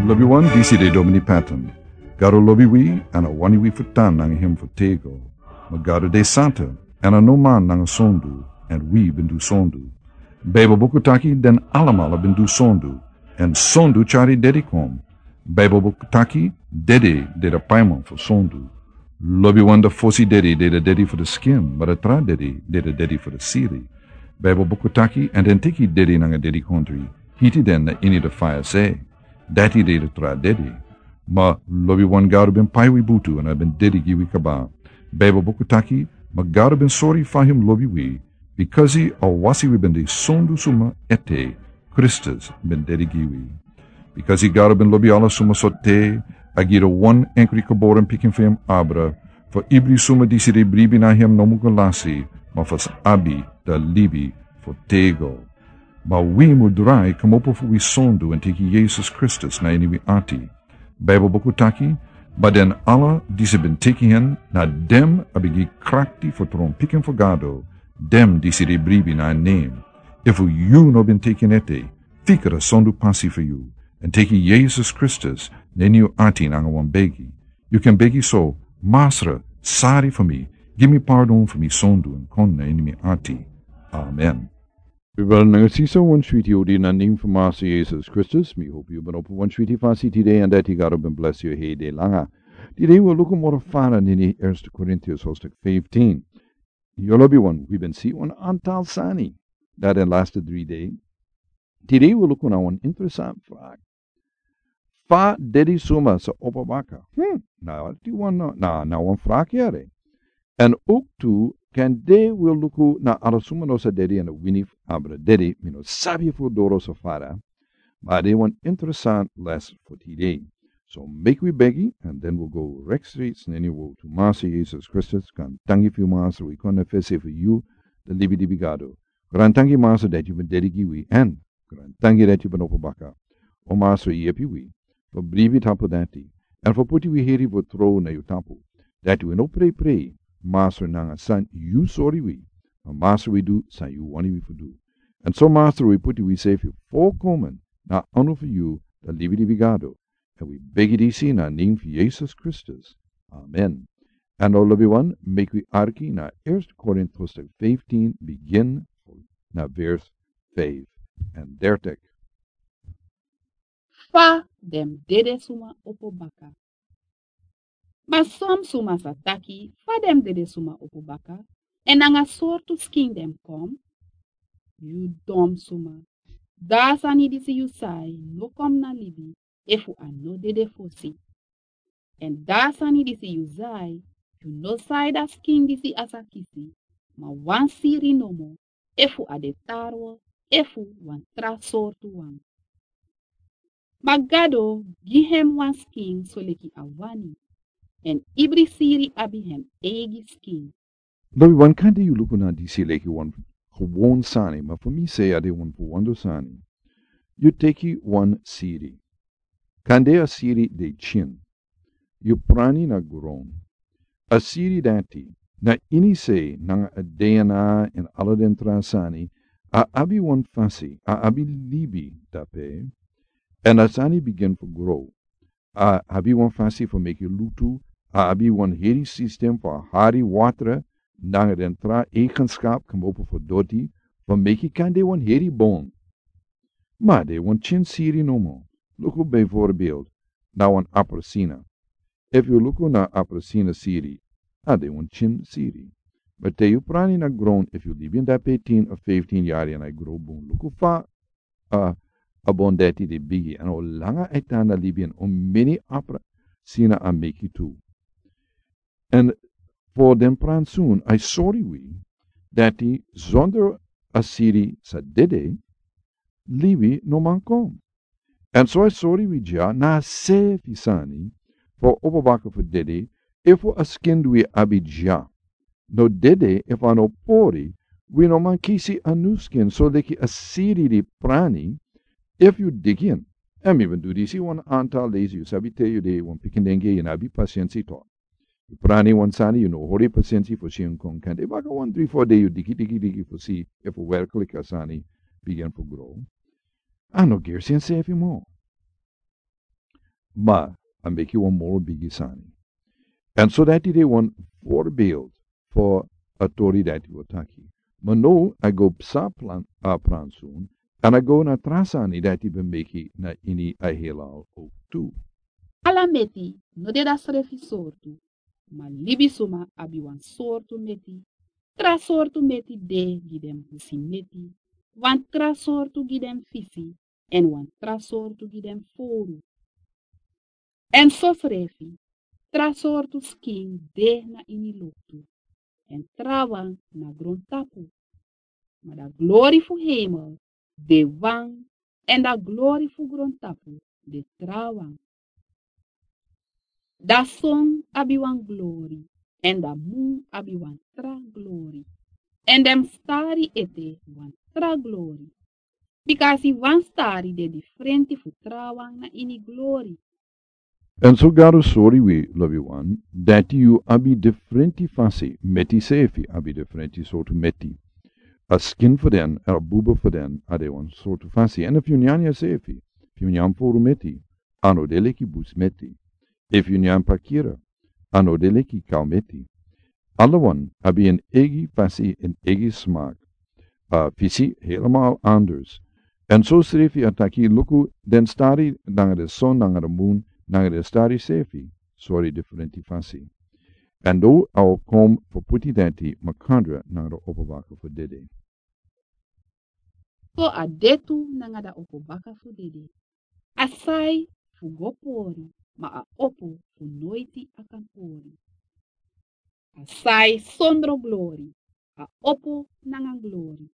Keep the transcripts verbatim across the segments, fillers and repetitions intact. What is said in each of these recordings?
Lobi wan, disi de Domini Patton. Gado lobi wi, èn a wani wi fu tan nanga hem fu tego. Ma Gado de santa, èn a no man nanga sondu, èn wi ben du sondu. Baibel buku taki den alamala ben du sondu, èn sondu tyari dedi kon. Baibel buku taki dedi de da paiman fu sondu. Lobi wan, da fosi dedi de da dedi fu da skin, ma da tra dedi de da dedi fu da siri. Baibel buku taki, èn den teki dedi nanga dedi kontri, hiti den na ini da faya se. Dati de da tra dedi. Ma lobi wan, Gado ben pai wi butu èn a ben dedi gi wi kaba. Baibel buku taki, ma Gado ben sori fa hem lobi wi, bikasi a wasi wi ben de sondu suma ete, Kristus ben dedi gi wi. Bikasi Gado ben lobi ala suma sortu, a gi da wan enkri geboren pikin fu hem abra, fu ibri suma disi de bribi na hem no mu go lasi, ma fu sa abi da libi fu tego. Ma wi mu drai komopo fu wi sondu èn teki Yesus Kristus na ini wi ati. Baibel buku taki, ma den ala disi ben teki hen, na den a ben gi krakti fu tron pikin fu Gado, den disi de bribi na en nen. Efu yu no ben teki en ete, fika da sondu pasi fu yu, èn teki Yesus Kristus na ini yu ati nanga wan begi. Yu kan begi so: Masra, sori fu mi, gi mi pardon fu mi sondu èn kon na ini mi ati. Amen. Brada nanga sisa, wan switi odi na nen fu Masra Yesus Kristus. Mi hopi yu ben opo wan switi fasi tide èn dati Gado ben blesi yu heri de langa. Tide wi o luku moro fara na ini Eerste Korintiërs hoofdstuk fifteen. Yu lobi wan, wi ben si wan antal sani na den laste dri dei. Tide wi o luku na wan interesant vraag. Fa dedi suma sa opo baka? Hmm, na di wan, na, na wan vraag yere. Èn ook tu, kande wi o luku na ala suma no sa dedi èn wini fu abra dedi, mi no sabi fu doro so fara. Ma a de wan interesant les fu tide. So meki wi begi, and then we'll go recht streets na ini wowtu. Masra Yesus Kristus, grantangi fu yu Masra, wi kon na fesi fu yu, da libi libi Gado. Grantangi Masra dati yu ben dedi gi wi, èn grantangi dati yu ben opo baka. O Masra, yepi wi fu bribi tapu dati, èn fu poti wi heri fu tron na yu tapu, dati wi no pray pray, Masra, nanga san yu sori wi, ma Masra, wi du san yu wani wi fu du. Èn so Masra, wi poti wi sefi volkomen na anu fu yu, da libi libi Gado. Èn wi begi disi na nen fu Yesus Kristus. Amen. Èn o lobi wan, meki wi arki na Eerste Korint hoofdstuk fifteen, begin na vers vijf en dertig. Fa den dede suma opo baka. Ma son suma sa taki: Fa den dede suma opo baka, èn nanga sortu skin den kon? Yu dom suma. Da sani disi yu sai no kon na libi efu a no dede fosi. Èn da sani disi yu sai, yu no sai da skin disi a sa kisi, ma wan siri nomo, efu a de tarwe, efu wan tra sortu wan. Ma Gado gi hem wan skin soleki a wani, èn ibri siri abi hem eigi skin. Lobi wan, kande yu luku na disi leki wan gewon sani, ma fu mi sei a de wan fu wonder sani. Yu teki wan siri. Kande a siri de tyin. Yu prani na gron. A siri dati, na ini sei nanga a D N A èn ala den tra sani, a abi wan fasi, a abi libi dape, èn a sani bigin fu gro. A abi wan fasi fu meki lutu, a abi wan heri sistem fu hari watra, nanga den tra eigenschap kmopo fu doti, fu meki kande wan heri bon. Ma a de wan tyin siri nomo. Luku bijvoorbeeld na wan apelsina. Efu yu luku na apelsina siri, a de wan tyin siri. Ma te yu prani na gron, efu yu libi en dape tien of vijftien yari èn a e gro bun, luku fa a, a bon dati de bigi, èn o langa a e tan na libi, èn o meni apelsina a meki tu. Èn fu den pransun, a e sori wi dati zonder a siri sa dede, libi no man kon. Èn so a e sori wi dya na a sefi sani, fu opo baka fu dede, efu a skin di wi abi dya no dede, efu a no pori, wi no man kisi a nyun skin soleki a siri di prani, efu yu digi en. Èn mi ben du disi wan antal leisi, yu sabi te yu de wan pikin denki, yu no abi pasensi tu. Yu prani wan sani, yu no hori pasensi fu si en kon, kande baka wan dri fo dei yu digi, digi, digi fu si efu werklik a sani bigin fu gro. A no gersi ensefi moro. Ma a meki wan moro bigi sani. Èn so dati de wan voorbeeld fu a tori dati wi o taki. Ma now a go psa plan, a pransun, èn a go na tra sani dati ben meki na ini a heelal ook tu. Ala meti no de dasrefi sortu, ma libisuma abi wan sortu meti. Tra sortu meti de gi den busi meti, wan tra sortu gi den fisi, èn wan tra sortu gi den fowru. Èn sosrefi, tra sortu skin de na ini loktu, èn trawan na grontapu. Ma da glori fu hemel de wan, èn da glori fu grontapu de trawan. Da son abi wan glori, èn da mun abi wan tra glori, èn den stari ete wan tra glori. Bika a si wan stari de difrenti fu trawan na ini glori. Èn so Gado sori wi lobiwan, dati yu abi difrenti fasi, meti sefi abi difrenti sortu meti. A skin fu den, a buba fu den, a de wan sortu fasi. Èn efu yu nyan yu sefi, efu yu nyan fowru meti, a no de leki busi meti. Efu yu nyan pakira, a no de leki kaw meti. Alawan abi en eigi fasi, en eigi smak. A fisi helemaal anders. Èn sosrefi a taki, luku, den stari nanga den son nanga den mun nanga den stari sefi sori difrenti fasi. Èn now a o kon fu puti dati makandra nanga den opo baka fu dede. So a de tu nanga den opo baka fu dede. A sai fu go pori, ma a opo fu noiti a kan pori. A sai sondro glori, a opo nanga glori.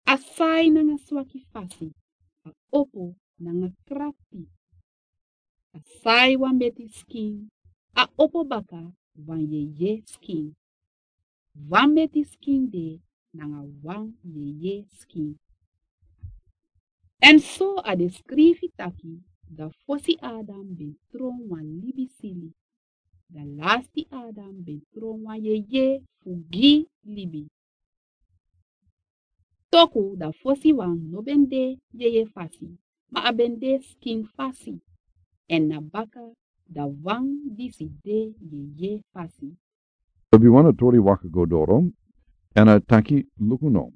A sai nanga swaki fasi, a opo nanga krakti. A sai wan meti skin, a opo baka wan yeye skin. Wan meti skin de nanga wan yeye skin. Èn so a de skrifi taki, da fosi Adam ben tron wan libisili, da lasti Adam ben tron wan yeye fu gi libi. Toku da fosiwan no ben de yeye fasi, ma a ben de skin fasi, èn na baka da wan disi de yeye fasi. Lobiwan, a tori waka go doro, èn a taki, luku no.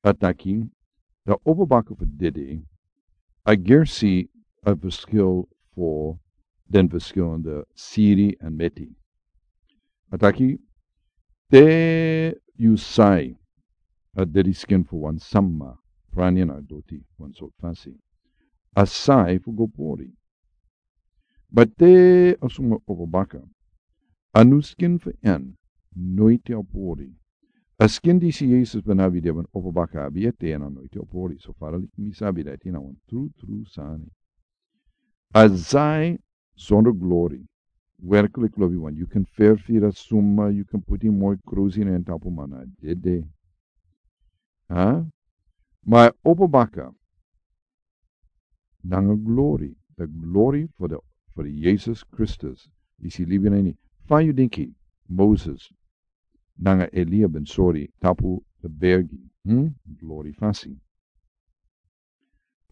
A taki, da opo baka fu dede, a gersi a verschil fu den verschillende siri èn meti. A taki, te yu sai a dede skin fu wan sama, prani na doti, wan sortu fasi, a sai fu go pori. Ma te a suma opo baka, a nu skin fu en noiti a pori. A skin disi Yesus ben abi, di a ben opo baka abi ete, èn a noiti a pori. So fara leki mi sabi, dati na wan tru tru sani. A sai sondro glori. Werkelijk, lobiwan, yu kan ferfiri a suma, yu kan puti moi krusi na en tapu, ma na dede. Ha? Ma a opo baka nanga glori, da glori fu de, fu de Yesus Kristus, disi libi na ini. Fa yu denki Moses nanga Elia ben sori tapu de bergi, hm? Glori fasi.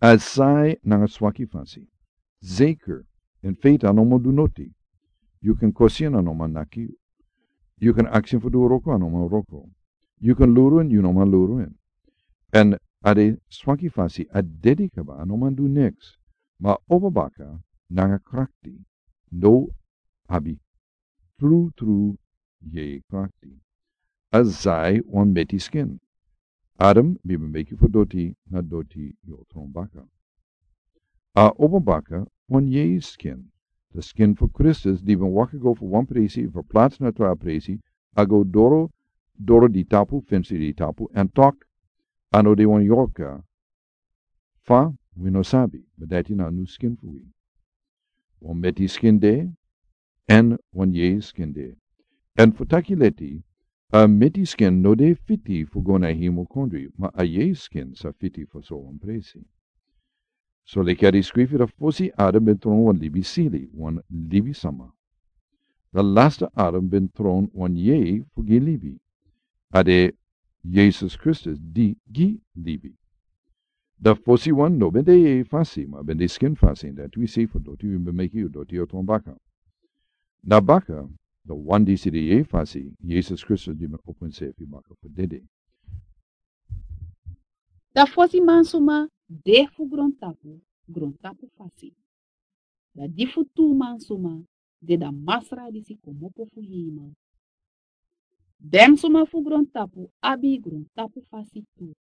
A sai nanga swaki fasi. Zeker, in feite a no man du noti. Yu kan kosi en, a no man naki. Yu kan aksi en fu du wroko, a no man wroko. Yu kan luru en, yu no man luru en. Èn a de swaki fasi, a dede kaba, a no man du niks. Ma opo baka nanga krakti, now a abi tru tru yeye krakti. A sai wan meti skin. Adam ben meki fu doti, na doti yu o tron baka. A opo baka wan yeye skin. De skin fu Kristus, di ben waka go fu wan presi, verplaats na tra presi, a go doro, doro di tapu, fensi di tapu, èn tok, a no de wan yorka. Fa, wi no sabi, ma dati na a nu skin fu wi. Wan meti skin de, èn wan yeye skin de. Èn fu taki leti, a meti skin no de fiti fu go na hemel kondre, ma a yeye skin sa fiti fu so wan presi. So leki a de skrifi, da fosi Adam ben tron wan libisili, wan libisama. Da lasti Adam ben tron wan yeye fu gi libi. A de Yesus Kristus di gi libi. Da fosi wan no ben de yeye fasi, ma ben de skin fasi, en dati wi sei fu doti wi ben meki yu doti yu o tron baka. Na baka, da wan disi de yeye fasi, Yesus Kristus di ben opo ensefi baka fu dede. Da fosi mansuma de fu grontapu, grontapu fasi. Da di fu tu mansuma de da Masra disi komopo fu heimel. Den suma fu grontapu abi grontapu fasi tu.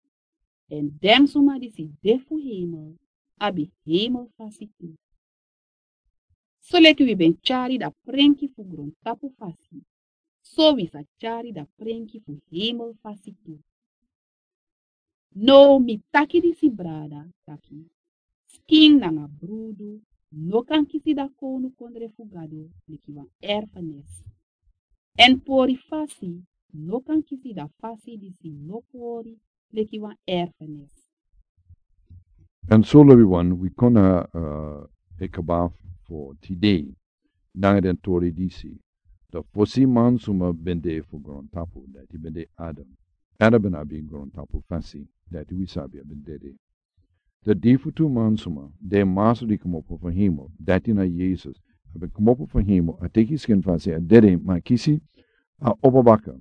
Èn den suma disi de fu heimel abi heimel fasi tu. Soleki wi ben tyari da prenki fu grontapu fasi, so wi sa tyari da prenki fu heimel fasi tu. Now mi taki disi, brada, taki skin nanga brudu no kan kisi da kownukondre fu Gado leki wan erfenis. Èn pori fasi no kan kisi da fasi disi no pori leki wan erfenis. Èn so, lobiwan, wi kon na, eh, e kaba fu tide. Nanga den tori disi. Da fosi mansuma ben de fu grontapu, dati ben de Adam. Adam ben abi grontapu fasi, dati wi sabi a ben dede. Da di fu tu mansuma, den Masra di komopo fu heimel, dati na Yesus. A ben komopo fu heimel, a teki skin fasi, a dede, ma kisi, a opo baka.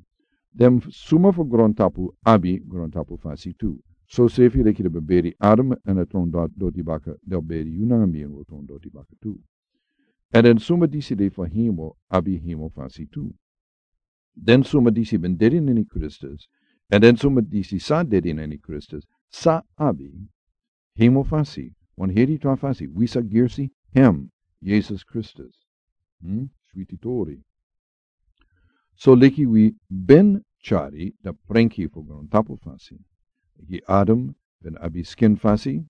Den suma fu grontapu abi grontapu fasi tu. Sosefi leki den ben beri Adam èn a tron doti baka, den o beri yu nanga mi èn wi o tron doti baka tu. Èn den suma disi de fu heimel abi heimel fasi tu. Den suma disi ben dede na ini Kristus, èn den suma disi sa dede na ini Kristus, sa abi heimel fasi, wan heri tra fasi, wi sa gersi hem, Yesus Kristus. Hmm? Switi tori. So leki wi ben tyari da prenki fu grontapu fasi. Leki Adam ben abi skin fasi,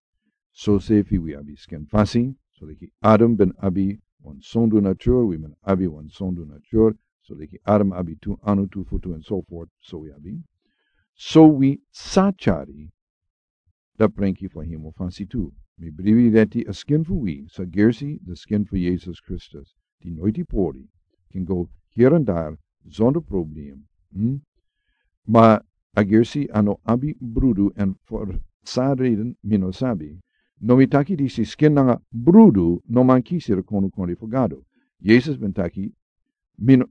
sosefi wi abi skin fasi. So leki Adam ben abi wan sondu natur, wi ben abi wan sondu natur. So leki Adam abi tu anu, tu futu, and so forth, so wi abi. So wi sa tyari da prenki fu heimel fasi tu. Mi bribi dati a skin fu wi sa gersi da skin fu Yesus Kristus, di noiti pori, ken go hier en daar zonder probleem. Hmm? Ma a gersi a no abi brudu, èn fu san reden mi no sabi. No, mi taki disi, skin nanga brudu no man kisi da kownukondre fu Gado. Yesus ben taki, mi no,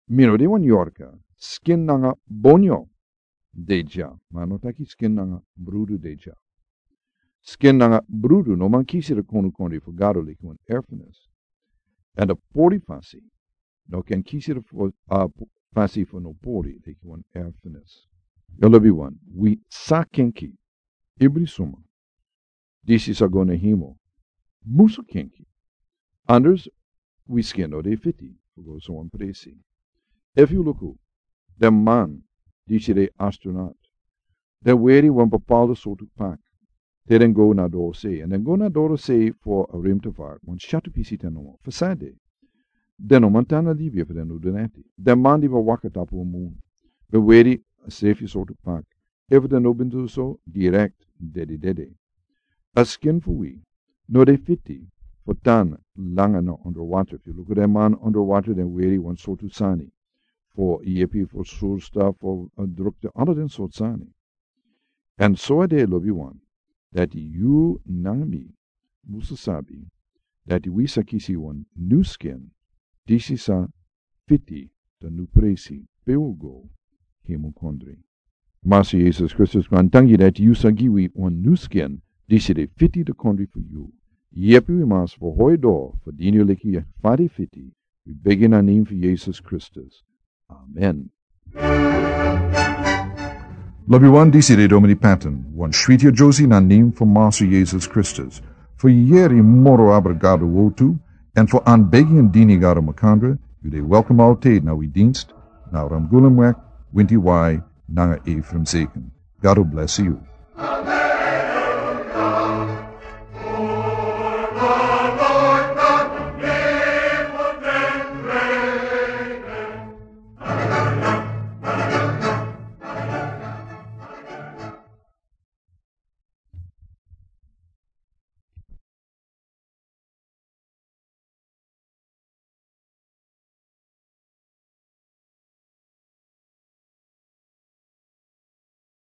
mi no de wan yorka, skin nanga bonyo de dya, ma a no taki skin nanga brudu de dya. Skin nanga brudu no man kisi da kownukondre fu Gado leki wan erfenis. Èn da pori fasi no kan kisi da fu, a, fasi fu no pori leki wan erfenis. Yu lobiwan, wi sa kenki, ibri suma disi sa go na heimel musu kenki. Anders wi skin no de fiti fu go so wan presi. Efu yu luku den man disi de astronaut, den weri wan bepaalde sortu pak te den go na dorosei, èn den go na dorosei fu a ruimtevaart, wan syatu pisi ten nomo fu sani. Den no man tan na libi efu den no du neti. Den man di ben waka tapu a mun ben weri a sefi sortu pak. Efu den no ben du so, direkt dede dede. A skin fu wi no de fiti fu tan langa na onder water. Efu yu luku den man onder water, den weri wan sortu sani fu yepi fu surstof, fu, eh, drukte, ala den sortu sani. Èn so a de, lobiwan, dati yu nanga mi musu sabi dati wi sa kisi wan new skin, disi sa fiti da new presi pe wi o go, heimel kondre. Masra Yesus Kristus, grantangi dati yu sa gi wi wan new skin disi de fiti da kondre fu yu. Yepi wi, Masra, fu hori doro fu dini yu leki fa di fiti. Wi begi na nen fu Yesus Kristus. Amen. Lobiwan, disi de Domini Patton, wan switi yere na nen fu Masra Yesus Kristus. Fu yere moro abra Gado wortu, èn fu anbegi èn dini Gado makandra, yu de welkom altijd na wi dienst, na Ramgulumweg, winti wai, nanga Ephraim Zeken. Gado bless yu.